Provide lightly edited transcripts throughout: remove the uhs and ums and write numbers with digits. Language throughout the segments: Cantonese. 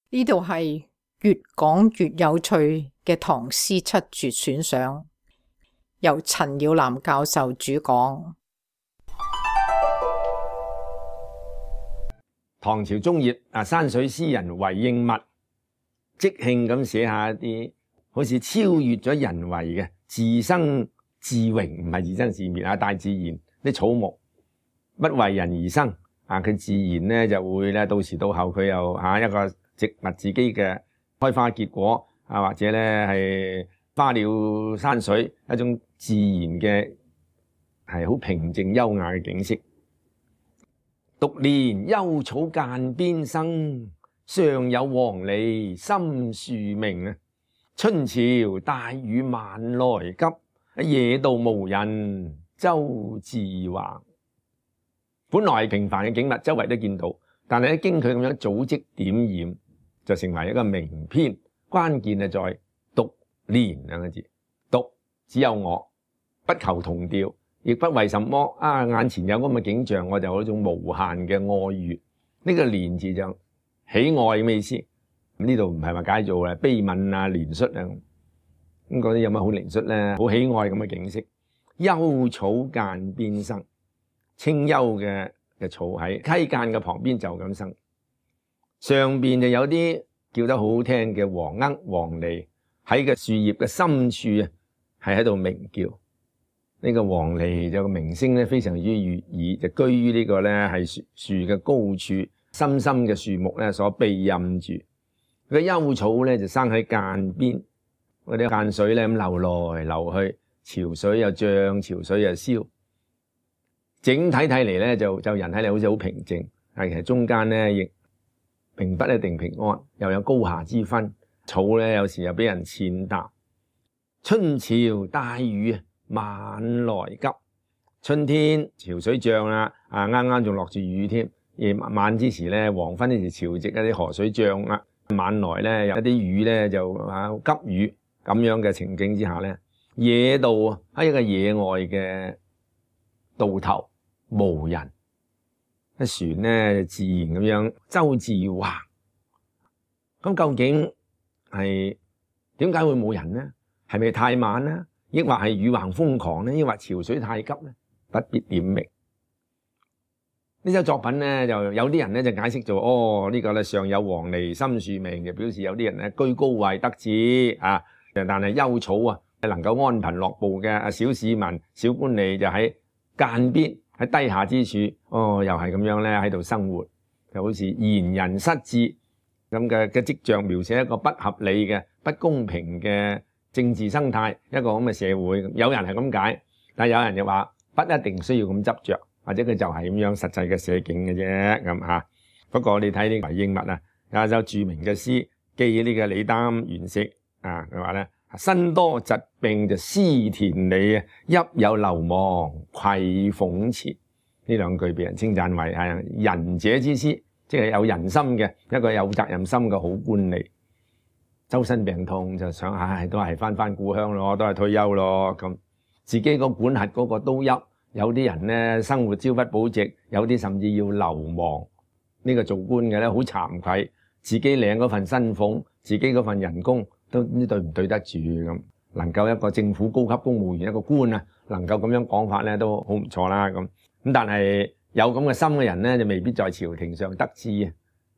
呢度係越講越有趣嘅唐詩七絕選賞，由陳耀南教授主講。唐朝中葉山水詩人韋應物即興咁寫下一啲好似超越咗人為嘅自生自榮，唔係自生自滅啊！大自然啲草木不為人而生佢自然咧就會咧到時到後佢又一個植物自己嘅開花結果或者咧係花鳥山水一種自然嘅係好平靜優雅嘅景色。獨憐幽草澗邊生，上有黃鸝深樹鳴。春潮帶雨晚來急，野渡無人舟自橫。本來係平凡嘅景物，周圍都見到，但係經佢咁樣組織點染，就成為一個名篇。關鍵係在獨憐兩個字，獨只有我，不求同調，亦不為什麼眼前有咁嘅景象，我就有一種無限嘅愛悅。呢個憐字就喜愛嘅意思。呢度唔係話解做悲憫憐恤咁嗰啲有乜好憐恤咧？好喜愛咁嘅景色。幽草澗邊生，清幽嘅草喺溪澗嘅旁邊就咁生。上邊就有啲叫得好好聽嘅黃鶯黃鸝喺個樹葉嘅深處係喺度鳴叫。呢個黃鸝就個鳴聲咧非常之悅耳，就居於呢個咧係樹嘅高處，深深嘅樹木咧所庇蔭住。個幽草咧就生喺澗邊，嗰啲澗水咧咁流來流去，潮水又漲，潮水又消。整體睇嚟咧就人睇嚟好似好平靜，但其實中間咧亦並不一定平安，又有高下之分。草咧有時又俾人踐踏。春潮帶雨晚來急，春天潮水漲啦，啱啱仲落住雨添。夜晚之時咧，黃昏呢時潮汐一啲河水漲啦，晚來咧有一啲雨咧就急雨咁樣嘅情景之下咧，野渡喺一個野外嘅渡頭無人，一船咧自然咁樣舟自橫。咁究竟係點解會冇人呢？係咪太晚呢？抑或係雨橫風狂呢？抑或潮水太急呢？不必點明。呢首作品咧，就有啲人咧就解釋做呢個咧上有黃鸝深樹鳴，就表示有啲人咧居高位得志但係幽草能夠安貧樂步嘅小市民小官吏就喺澗邊喺低下之處，又係咁樣咧喺度生活，就好似賢人失志咁嘅跡象，描寫一個不合理嘅不公平嘅政治生態，一個咁嘅社會。有人係咁解，但係有人就話不一定需要咁執着，或者佢就係咁樣實際嘅寫景嘅啫咁。不過你睇呢個韋應物有一首著名嘅詩記呢個李擔元識佢話咧，身多疾病就思田里，邑有流亡愧諷前。呢兩句被人稱讚為係仁者之詩，即係有人心嘅一個有責任心嘅好官吏。周身病痛就想都係翻故鄉咯，都係退休咯咁。自己個管轄嗰個都邑，有啲人咧生活朝不保夕，有啲甚至要流亡。呢個做官嘅咧好慚愧，自己領嗰份薪俸，自己嗰份人工都唔知對唔對得住咁。能夠一個政府高級公務員一個官能夠咁樣講法咧都好唔錯啦咁。但係有咁嘅心嘅人咧就未必在朝廷上得志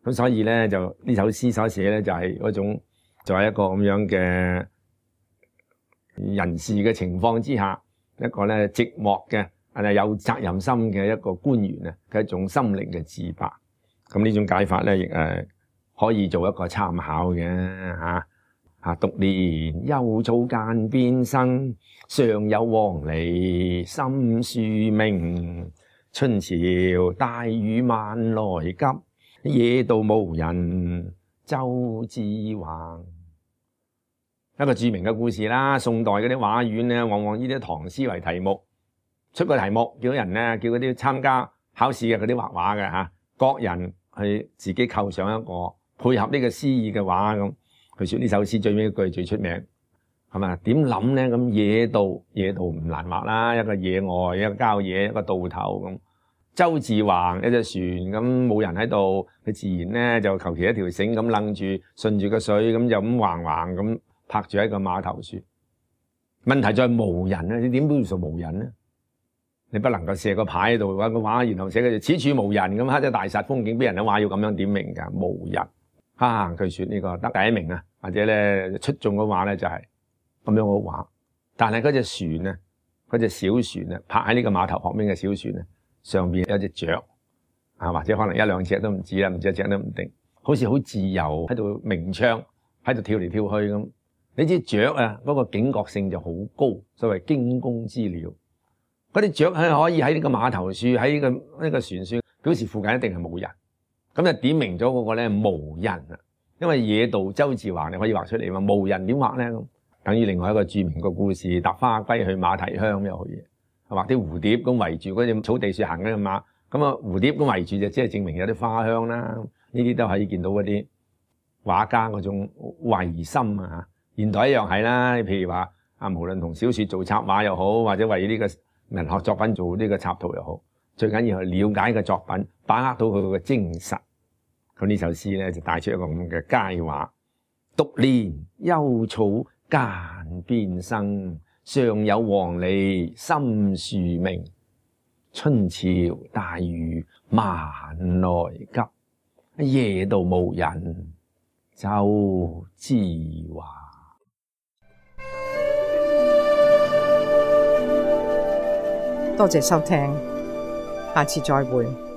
咁，所以咧就呢首詩所寫咧就係嗰種就係一個咁樣嘅人事嘅情況之下，一個咧寂寞嘅有責任心嘅一個官員嘅一種心靈嘅自白。咁呢種解法咧亦可以做一個參考嘅獨憐幽草澗邊生，上有黃鸝深樹鳴。春潮帶雨晚來急，野渡無人舟自橫。一個著名嘅故事啦，宋代嗰啲畫院咧，往往呢啲唐詩為題目，出個題目叫人咧，叫嗰啲參加考試嘅嗰啲畫畫嘅各人去自己構想一個配合呢個詩意嘅畫咁。佢說呢首詩最尾一句最出名，係咪？點諗咧？咁野渡唔難畫啦，一個野外，一個郊野，一個渡頭咁。舟自橫，有隻船咁冇人喺度，佢自然咧就求其一條繩咁掕住，順住個水咁就咁橫橫咁泊住喺個碼頭處。問題在無人啊！你點叫做無人咧？你不能夠射個牌喺度畫個畫，然後寫佢此處無人咁，黑咗大煞風景，俾人都話要咁樣點明㗎？無人啊！據說呢個得第一名啊，或者咧出眾嘅話咧就係咁樣嘅畫。但係嗰隻船啊，嗰隻小船啊，泊喺呢個碼頭旁邊嘅小船啊，上邊有隻雀啊，或者可能一兩隻都唔止啦，唔止一隻都唔定，好似好自由喺度鳴唱，喺度跳嚟跳去咁。你知雀啊，嗰個警覺性就好高，所謂驚弓之鳥。嗰啲雀係可以喺呢個碼頭處，喺呢個船處，表示附近一定係冇人。咁就點明咗嗰個咧無人啊，因為野渡舟自橫，你可以畫出嚟嘛。無人點畫咧？咁等於另外一個著名嘅故事，搭花歸去馬蹄鄉又可以。畫啲蝴蝶咁圍住嗰隻草地樹行嗰隻馬，咁啊蝴蝶咁圍住就即係證明有啲花香啦。呢啲都可以見到嗰啲畫家嗰種慧心啊。現代一樣係啦，譬如話啊，無論同小說做插畫又好，或者為呢個文學作品做呢個插圖又好，最緊要係了解個作品，把握到佢個精神。咁呢首詩咧就帶出一個咁嘅佳話：獨憐幽草澗邊生，上有黃鸝深樹鳴。春潮大雨萬來急，夜渡無人舟自橫。多謝收聽，下次再會。